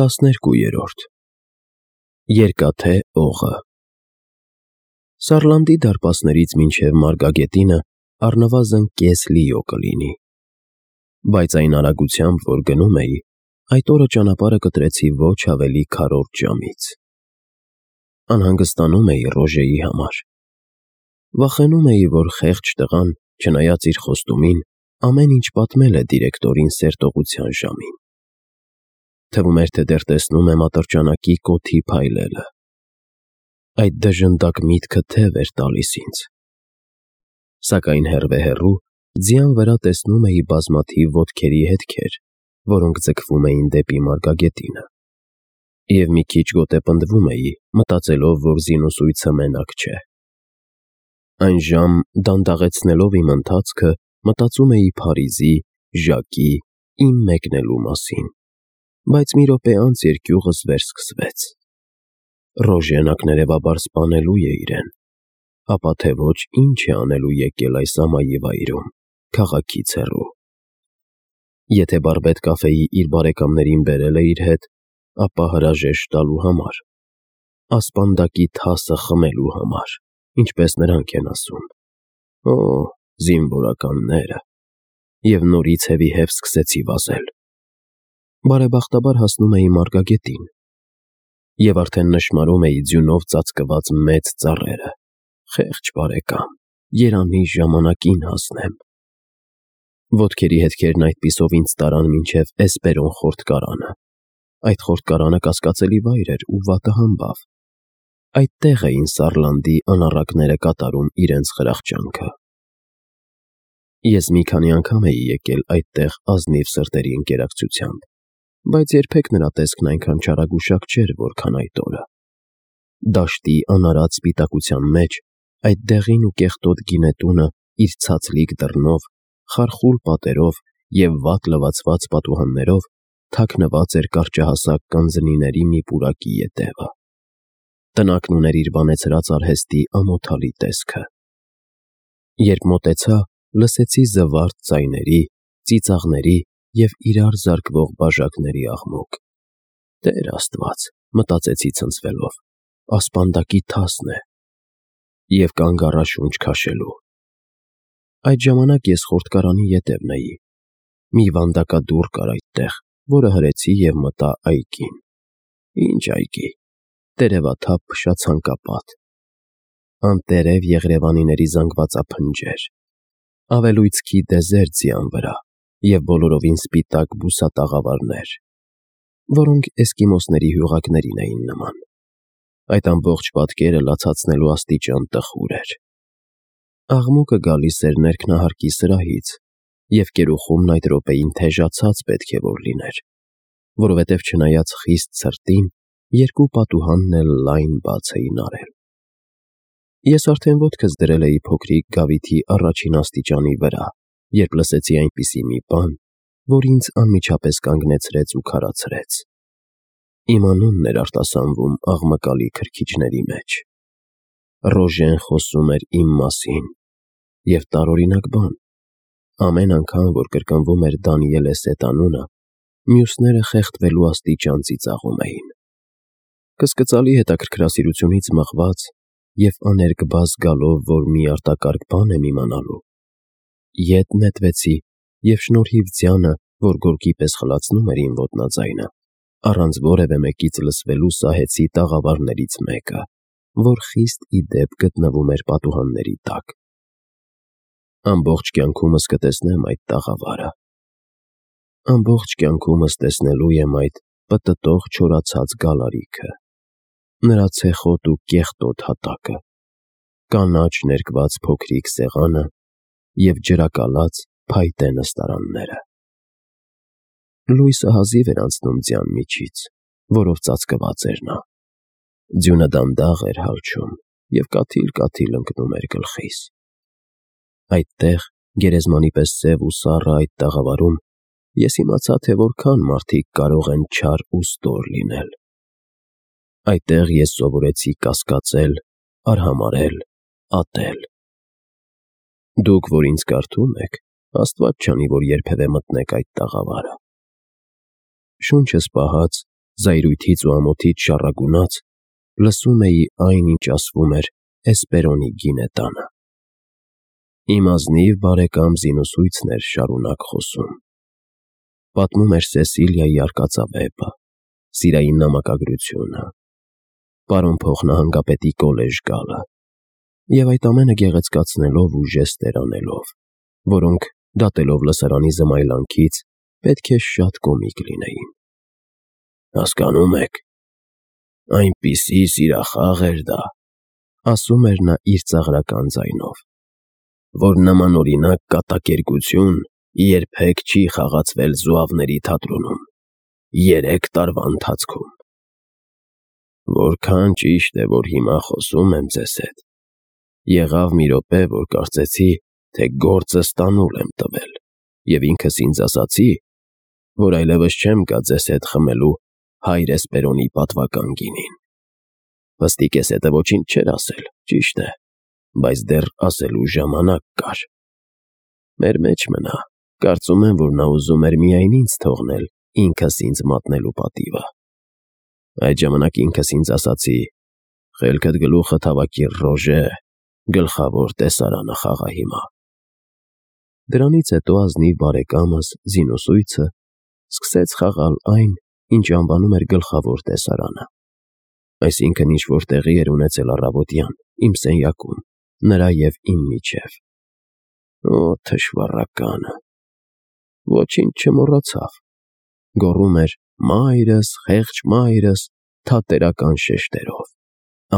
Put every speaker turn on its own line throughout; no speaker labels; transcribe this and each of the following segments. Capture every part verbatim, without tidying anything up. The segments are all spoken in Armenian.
Տասներկուերորդ Երկաթե Օղը Սարլանդի դարպասներից մինչև Մարգագետինը առնվազն կես լիո կլինի, բայց այն արագությամբ, որ գնում էի, այդ օրը ճանապարհը կտրեցի ոչ ավելի քառորդ ժամից։ Անհանգստանում էի Ռոժեի համար։ Վախենում էի, որ խեղճ տղան, չնայած իր խոստումին, ամեն ինչ պատմել է դիրեկտորին սերտողության ժամին։ Թվում էր, թե դեռ տեսնում եմ ատրճանակի կոթի փայլելը։ Այդ դժնդակ միտքը թև էր տալիս ինձ։ Սակայն հեռվե-հեռու ձյան վրա տեսնում էի բազմաթիվ ոտքերի հետքեր, որոնք ձգվում էին դեպի Մարգագետինը, և մի քիչ գոտեպնդվում էի, մտածելով, որ զինուսույցը մենակ չէ։ Այն ժամ, դանդաղեցնելով իմ ընթացքը, մտածում էի Փարիզի, Ժակի, իմ մեկնելու մասին, բայց մի րոպե անց երկյուղս վերսկսվեց։ Ռոժեն ակներևաբար սպանելու է իրեն, ապա թե ոչ ինչ է անելու եկել այս ամայի վայրում, քաղաքից հեռու։ Եթե Բարբետ կաֆեի իր բարեկամներին բերել է իր հետ, ապա հրաժեշտ տալու համար, ասպանդակի թասը խմելու համար, ինչպես նրանք են ասում։ Օ, զինվորականները… Եվ նորից հևի-հև սկսեցի վազել։ Բարեբախտաբար հասնում էի Մարգագետին, և արդեն նշմարում էի ձյունով ծածկված մեծ ծառերը։ Խեղճ բարեկամ, երանի ժամանակին հասնեմ։ Ոտքերի հետքերն այդպիսով ինձ տարան մինչև Էսպերոն խորտկարանը։ Այդ խորտկարանը կասկածելի վայր էր ու վատը համբավ։ Այդտեղ էին Սարլանդի անառակները կատարում իրենց խրախճանքը։ Ես մի քանի անգամ էի եկել այդտեղ ազնիվ սրտերի ընկերակցությամբ, բայց երբեք նրա տեսքն այնքան չարագուշակ չէր, որքան այդ օրը։ Դաշտի անարատ սպիտակության մեջ այդ դեղին ու կեղտոտ գինետունը իր ցածլիկ դռնով, խարխուլ պատերով և վատ լվացված պատուհաններով թաքնված էր կարճահասակ կանձնիների մի պուրակի ետևը։ Տնակն ուներ իր բանեցրած արհեստի ամոթալի տեսքը։ Երբ մոտեցա, լսեցի զվարթ ձայների, ծիծաղների և իրար զարկվող բաժակների աղմուկ։ Տեր Աստված, մտածեցի ցնցվելով, ասպանդակի թասն է։ Եվ կանգ առա շունչ քաշելու։ Այդ ժամանակ ես խորտկարանի ետևն էի։ Մի վանդակադուռ կար այդտեղ, որը հրեցի և մտա այգին։ Ինչ այգի… Տերևաթափ փշացանկապատ, անտերև եղրևանիների զանգվածափնջեր, ավելույցքի դեզերտ ձյան վրա և բոլորովին սպիտակ բուսատաղավարներ, որոնք էսկիմոսների հյուղակներին էին նման։ Այդ ամբողջ պատկերը լացացնելու աստիճան տխուր էր։ Աղմուկը գալիս էր ներքնահարկի սրահից, և կերուխումն այդ րոպեին թեժացած պետք է որ լիներ, որովհետև չնայած խիստ ցրտին, երկու պատուհանն էլ լայն բաց էին արել։ Ես արդեն ոտքս դրել էի փոքրիկ գավիթի առաջին աստիճանի վրա, երբ լսեցի այնպիսի մի բան, որ ինձ անմիջապես կանգնեցրեց ու քարացրեց։ Իմ անունն էր արտասանվում աղմկալի քրքիջների մեջ։ Ռոժեն խոսում էր իմ մասին, և տարօրինակ բան, ամեն անգամ, որ կրկնվում էր Դանիել Էսետ անունը, մյուսները խեղդվելու աստիճան ծիծաղում էին։ Կսկծալի հետաքրքրասիրությունից մղված և աներկբա զգալով, որ մի արտակարգ բան եմ իմանալու, ետ նետվեցի և շնորհիվ ձյանը, որ գորգի պես խլացնում էր իմ ոտնաձայնը, առանց որևէ մեկից լսվելու սահեցի տաղավարներից մեկը, որ խիստ ի դեպ գտնվում էր պատուհանների տակ։ Ամբողջ կյանքումս կտեսնեմ այդ տաղավարը։ Ամբողջ կյանքումս տեսնելու եմ այդ պտտող չորացած գալարիքը, նրա ցեխոտ ու կեղտոտ հատակը, կանաչ ներկված փոքրիկ սեղանը և ջրակալած փայտե նստարանները։ Լույսը հազիվ էր անցնում ձյան միջից, որով ծածկված էր նա։ Ձյունը դանդաղ էր հալչում և կաթիլ-կաթիլ ընկնում էր գլխիս։ Այդտեղ, գերեզմանի պես սև ու սառը այդ տաղավարում, ես իմացա, թե որքան մարդիկ կարող են չար ու ստոր լինել։ Այդտեղ ես սովորեցի կասկածել, արհամարհել, ատել։ Դուք, որ ինձ կարդում եք, Աստված չանի, որ երբևէ մտնեք այդ տաղավարը։ Շունչս պահած, զայրույթից ու ամոթից շառագունած, լսում էի այն, ինչ ասվում էր Էսպերոնի գինետանը։ Իմ ազնիվ բարեկամ զինուսույցն էր շարունակ խոսում։ Պատմում էր Սեսիլիայի արկածավեպը, սիրային նամակագրությունը, պարոն փոխնահանգապետի կոլեժ գալը, և այդ ամենը գեղեցկացնելով ու ժեստեր անելով, որոնք, դատելով լսարանի զմայլանքից, պետք է շատ կոմիկ լինեին։ «Հասկանում եք, այնպիսի սիրախաղ էր դա», ասում էր նա իր ծաղրական ձայնով, «որ նմանօրինակ կատակերգություն երբեք չի խաղացվել Զուավների թատրոնում երեք տարվա ընթացքում։ Որքան ճիշտ է, որ հիմա խոսում եմ ձեզ հետ, եղավ մի րոպե, որ կարծեցի, թե գործը ստանուլ եմ տվել, և ինքս ինձ ասացի, որ այլևս չեմ գա ձեզ հետ խմելու հայր Էսպերոնի պատվական գինին։ Պստիկ էս հետը ոչինչ չէր ասել, ճիշտ է, բայց դեռ ասելու ժամանակ կար։ Մեր մեջ մնա, կարծում եմ, որ նա ուզում էր միայն ինձ թողնել ինքս ինձ մատնելու պատիվը։ Այդ ժամանակ ինքս ինձ ասացի. «Խելքդ գլուխդ հավաքիր, Ռոժե, գլխավոր տեսարանը խաղա հիմա»։ Դրանից հետո ազնիվ բարեկամս, զինուսույցը, սկսեց խաղալ այն, ինչ անվանում էր գլխավոր տեսարանը, այսինքն ինչ-որ տեղի էր ունեցել առավոտյան, իմ սենյակում, նրա և իմ միջև։ Օ, թշվառականը, ոչինչ չմոռացավ, գոռում էր «մայրս, խեղճ մայրս» թատերական շեշտերով,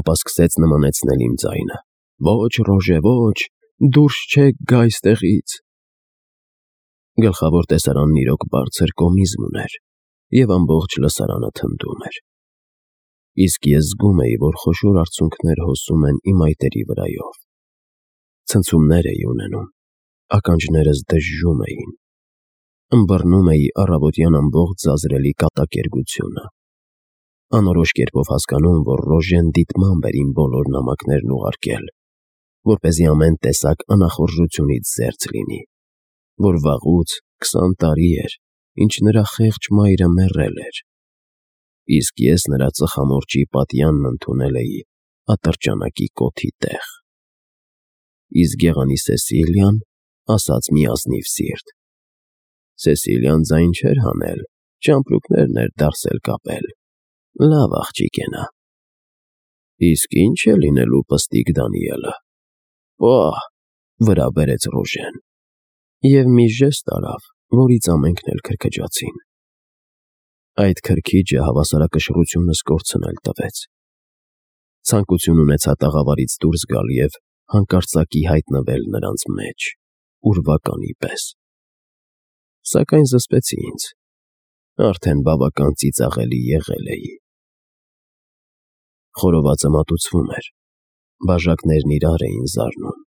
ապա սկսեց նմանեցնել իմ ձայնը. «Ոչ, Ռոժե, ոչ, դուրս չեք գա այստեղից»։ Գլխավոր տեսարանն իրոք բարձր կոմիզմ ուներ, և ամբողջ լսարանը թնդում էր։ Իսկ ես զգում էի, որ խոշոր արցունքներ հոսում են իմ այտերի վրայով։ Ցնցումներ էի ունենում, ականջներս դժժում էին, ըմբռնում էի առավոտյան ամբողջ զազրելի կատակերգությունը, անորոշ կերպով հասկանում, որ Ռոժեն դիտմամբ էր իմ բոլոր նամակներն ուղարկել, որպեսզի ամեն տեսակ անախորժությունից զերծ լինի, որ վաղուց քսան տարի էր, ինչ նրա խեղճ մայրը մեռել էր, իսկ ես նրա ծխամորճի պատյանն ընդունել էի ատրճանակի կոթի տեղ։ Իսկ գեղանի Սեսիլիան ասաց մի ազնիվ սիրտ. Սեսիլիան ձայն չէր հանել, ճամպրուկներն էր դարսել կապել, լավ աղջիկ է նա։ Իսկ ինչ է լինելու պստիկ Դանիելը։ Պահ, վրա բերեց Ռոժեն, և մի ժեստ արավ, որից ամենքն էլ քրքջացին։ Այդ քրքիջը հավասարակշռությունս կորցնել տվեց։ Ցանկություն ունեցա տաղավարից դուրս գալ և հանկարծակի հայտնվել նրանց մեջ, ուրվականի պես։ Սակայն զսպեցի ինձ, արդեն բավական ծիծաղելի եղել էի։ Խորովածը մատուցվում էր, բաժակներն իրար էին զարնում։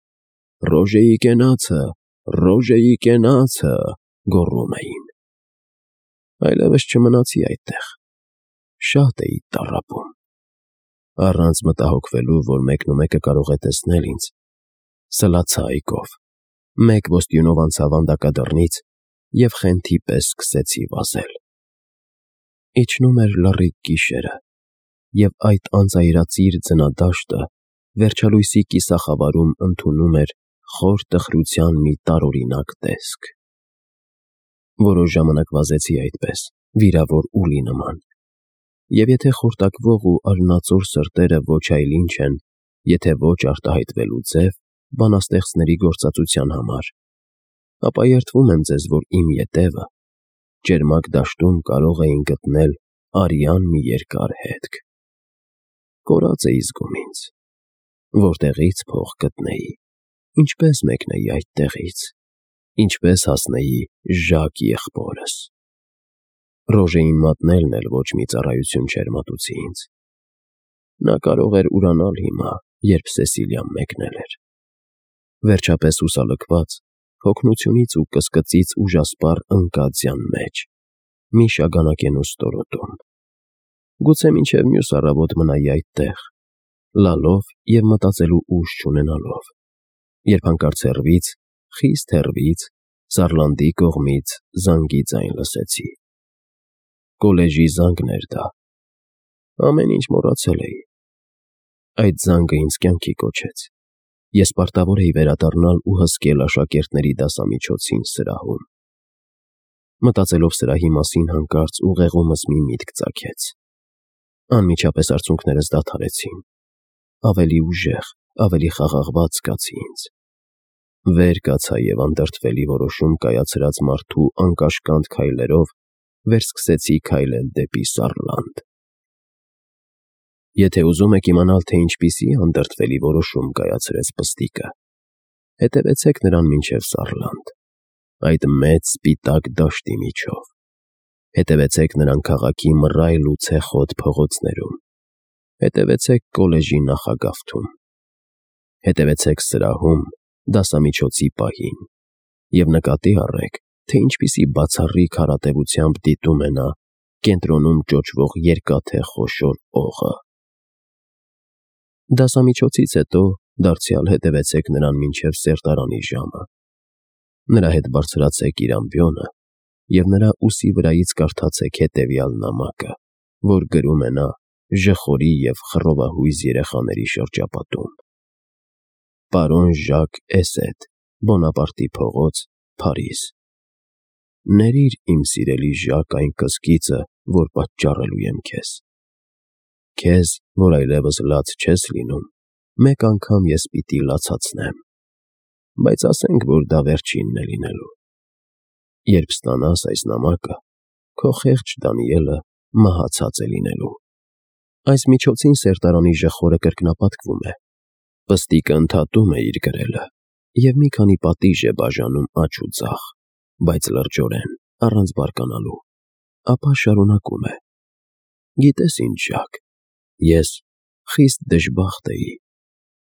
«Ռոժեի կենացը, Ռոժեի կենացը», գոռում էին։ Այլևս չմնացի այդտեղ, շատ էի տառապում։ Առանց մտահոգվելու, որ մեկնումեկը կարող է տեսնել ինձ, սլացա այգով, մեկ ոստյունով անցա վանդակադռնից և խենթի պես սկսեցի վազել։ Իջնում էր լռիկ գիշերը, և այդ անձայրածիր ձնադաշտը վերջալույսի կիսախավարում ընդունում էր խոր տխրության մի տարօրինակ տեսք։ Որոշ ժամանակ վազեցի այդպես, վիրավոր ուլի նման, և եթե խորտակվող ու արյունածոր սրտերը ոչ այլ ինչ են, եթե ոչ արտահայտվելու ձև բանաստեղծների գործածության համար, ապա երդվում եմ ձեզ, որ իմ ետևը, ճերմակ դաշտում կարող էին գտնել արյան մի երկար հետք։ Կորած էի զգում ինձ, որտեղի՞ց փող գտնեի, ինչպե՞ս մեկնեի այդտեղից, ինչպե՞ս հասնեի Ժակ եղբորս։ Ռոժեին մատնելն էլ ոչ մի ծառայություն չէր մատուցի ինձ։ Նա կարող էր ուրանալ հիմա, երբ Սեսիլիան մեկնել էր։ Վերջապես հուսալքված, հոգնությունից ու կսկծից ուժասպառ ընկա ձյան մեջ, մի շագանակենու ստորոտում։ Գուցե մինչև մյուս առավոտ մնայի այդտեղ, լալով և մտածելու ուժ չունենալով, երբ հանկարծ հեռվից, խիստ հեռվից, Սարլանդի կողմից զանգի ձայն լսեցի։ Կոլեժի զանգն էր դա, Ամեն ինչ մոռացել էի։ Այդ զանգը ինձ կյանքի կոչեց։ Ես պարտավոր էի վերադառնալ ու հսկել աշակերտների դասամիջոցին սրահում։ Մտածելով սրահի մասին հանկարծ ուղեղումս մի միտք ծագեց։ Անմիջապես արցունքներս դադարեցին։ Ավելի ուժեղ, ավելի խաղաղված զգացի ինձ։ Վեր կացա և անդրդվելի որոշում կայացրած մարդու անկաշկանդ քայլերով վերսկսեցի քայլել դեպի Սառլանդ։ Եթե ուզում եք իմանալ, թե ինչպիսի անդրդվելի որոշում կայացրեց Պստիկը, հետևեցեք նրան մինչև Սառլանդ, այդ մեծ սպիտակ դաշտի միջով։ Հետևեցեք նրան քաղաքի մռայլ ու ցեխոտ փողոցներում։ Հետևեցեք կոլեժի նախագավթում։ Հետևեցեք սրահում, դասամիջոցի պահին, և նկատի առեք, թե ինչպիսի բացառիկ հարատևությամբ դիտում է նա կենտրոնում ճոճվող երկաթե խոշոր օղը։ Դասամիջոցից հետո դարձյալ հետևեցեք նրան մինչև սերտարանի ժամը։ Նրա հետ բարձրացեք իր ամբիոնը և նրա ուսի վրայից կարդացեք հետևյալ նամակը, որ գրում է նա ժխորի և խռովահույզ երեխաների շրջապատում. Պարոն Ժակ Էսեդ, Բոնապարտի փողոց, Փարիզ։ Ներիր, իմ սիրելի Ժակ, այն կսկիծը, որ պատճառելու եմ քեզ։ Քեզ, որ այլևս լաց չես լինում, մեկ անգամ ես պիտի լացացնեմ, բայց ասենք, որ դա վերջինն է լինելու։ Երբ ստանաս այս նամակը, քո խեղճ Դանիելը մահացած է լինելու։ Այս միջոցին սերտարանի ժխորը կրկնապատկվում է։ Պստիկը ընդհատում է իր գրելը և մի քանի պատիժ է բաժանում աջ ու ձախ, բայց լրջորեն, առանց բարկանալու, ապա շարունակում է. Գիտես ինչ, Ժակ, ես խիստ դժբախտ էի,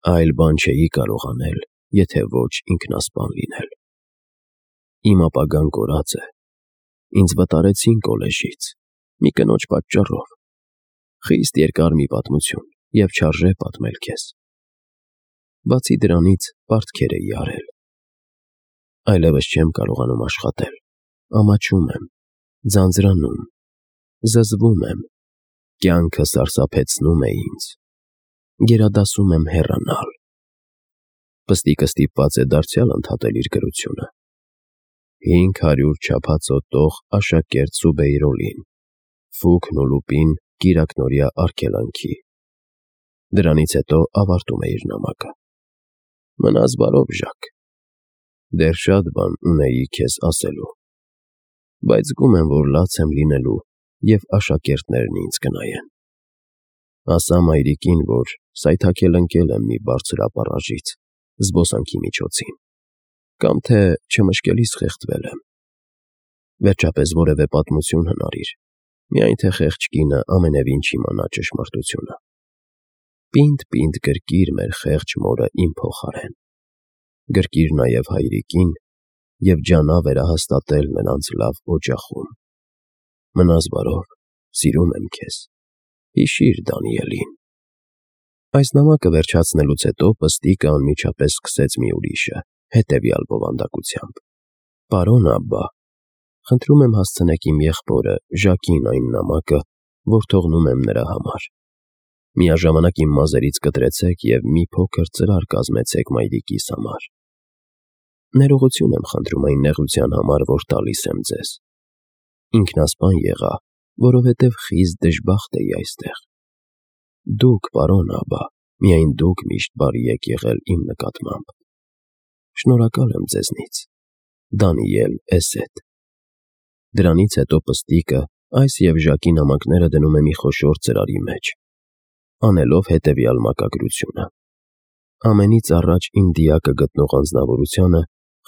այլ բան չէի կարող անել, եթե ոչ ինքնասպան լինել։ Իմ ապագան կորած է, ինձ վտարեցին կոլեժից, մի կնոջ պատճառով, խիստ երկար մի պատմություն և չարժե պատմել քեզ։ Բացի դրանից պարտքեր էի արել։ Այլևս չեմ կարողանում աշխատել, ամաչում եմ, ձանձրանում, զզվում եմ, կյանքը սարսափեցնում է ինձ, գերադասում եմ հեռանալ։ Պստիկը ստիպված է դարձյալ ընդհատել իր գրությունը։ Հինգ հարյուր չափածո տող աշակերտ Սուբեյրոլին, Ֆուկն ու Լուպին կիրակնօրյա արգելանքի։ Դրանից հետո ավարտում է իր նամակը. Մնաս բարով, Ժակ, դեռ շատ բան ունեի քեզ ասելու, բայց զգում եմ, որ լաց եմ լինելու և աշակերտներն ինձ կնայեն։ Ասա մայրիկին, որ սայթաքել ընկել եմ մի բարձր ապառաժից, զբոսանքի միջոցին, կամ թե չմշկելիս խեղդվել եմ։ Վերջապես որևէ պատմություն հնարիր, միայն թե խեղճ կինը ամենևին չիմանա ճշմարտությունը։ Պինդ-պինդ գրկիր մեր խեղճ մորը իմ փոխարեն, գրկիր նաև հայրիկին և ջանա վերահաստատել նրանց լավ օջախում։ Մնաս բարով, սիրում եմ քեզ, հիշիր Դանիելին։ Այս նամակը վերջացնելուց հետո Պստիկը անմիջապես սկսեց մի ուրիշը, հետևյալ բովանդակությամբ. Պարոն Աբբա, խնդրում եմ հասցնեք իմ եղբորը Ժակին այն նամակը, որ թողնում եմ նրա համար։ Միաժամանակ իմ մազերից կտրեցեք և մի փոքր ծրար կազմեցեք մայրիկիս համար։ Ներողություն եմ խնդրում այն նեղության համար, որ տալիս եմ ձեզ։ Ինքնասպան եղա, որովհետև խիստ դժբախտ էի այստեղ։ Դուք, պարոն Աբբա, միայն դուք միշտ բարի եք եղել իմ նկատմամբ։ Շնորհակալ եմ ձեզնից, Դանիել Էսեդ։ Դրանից հետո Պստիկը այս և Ժակի նամակները դնում է մի խոշոր ծրարի մեջ, անելով հետևյալ մակագրությունը. Ամենից առաջ իմ դիակը գտնող անձնավորությանը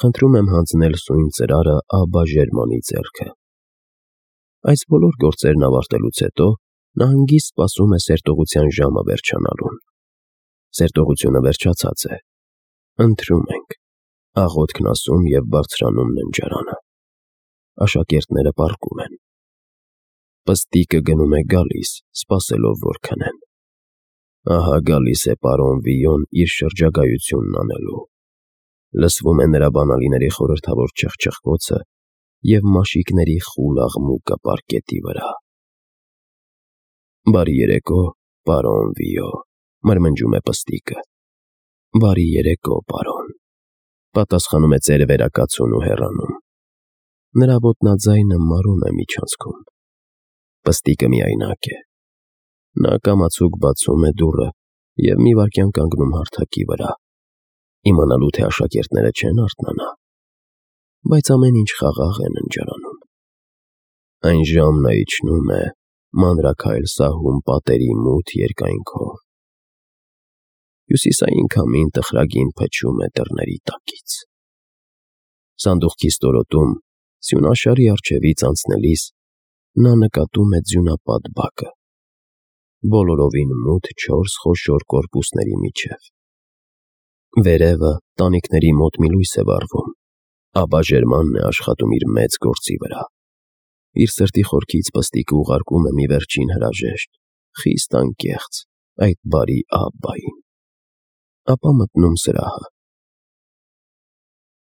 խնդրում եմ հանձնել սույն ծրարը Աբբա Ժերմանի ձեռքը։ Այս բոլոր գործերն ավարտելուց հետո նա հանգիստ սպասում է սերտողության ժամը վերջանալուն։ Սերտողությունը վերջացած է։ Ընթրում ենք, աղոթքն ասում և բարձրանում ննջարանը։ Աշակերտները պառկում են։ Պստիկը գնում է գալիս, սպասելով, որ քնեն։ Ահա գալիս է պարոն Վիոն իր շրջագայությունն անելու։ Լսվում է նրա բանալիների խորհրդավոր չխչխկոցը և մաշիկների խուլ աղմուկը պառկետի վրա։ Բարի երեկո, պարոն Վիո, մրմնջում է Պստիկը։ Բարի երեկո, պարոն, պատասխանում է ծերևերակացուն ու հեռանում։ Նրա ոտնաձայնը մարում է միջանցքում։ Պստիկը միայնակ է։ Նա կամացուկ բացում է դուռը և մի վայրկյան կանգնում հարթակի վրա, իմանալու թե աշակերտները չեն արթնանա, բայց ամեն ինչ խաղաղ է ննջարանում։ Այն ժամն է իջնում է մանրաքայլ սահուն պատերի մութ երկայնքով։ Հյուսիսային քամին տխրագին փչում է դռների տակից։ Սանդուղքի ստորոտում սյունաշարի առջևից անցնելիս նա նկատում է ձյունապատ բակը, բոլորովին մութ չորս խոշոր կորպուսների միջև։ Վերևը տանիքների մոտ մի լույս է վառվում, ապա Ժերմանն է աշխատում իր մեծ գործի վրա։ Իր սրտի խորքից Պստիկը ուղարկում է մի վերջին հրաժեշտ, խիստ անկեղծ, այդ բարի Աբբային, ապա մտնում սրահը։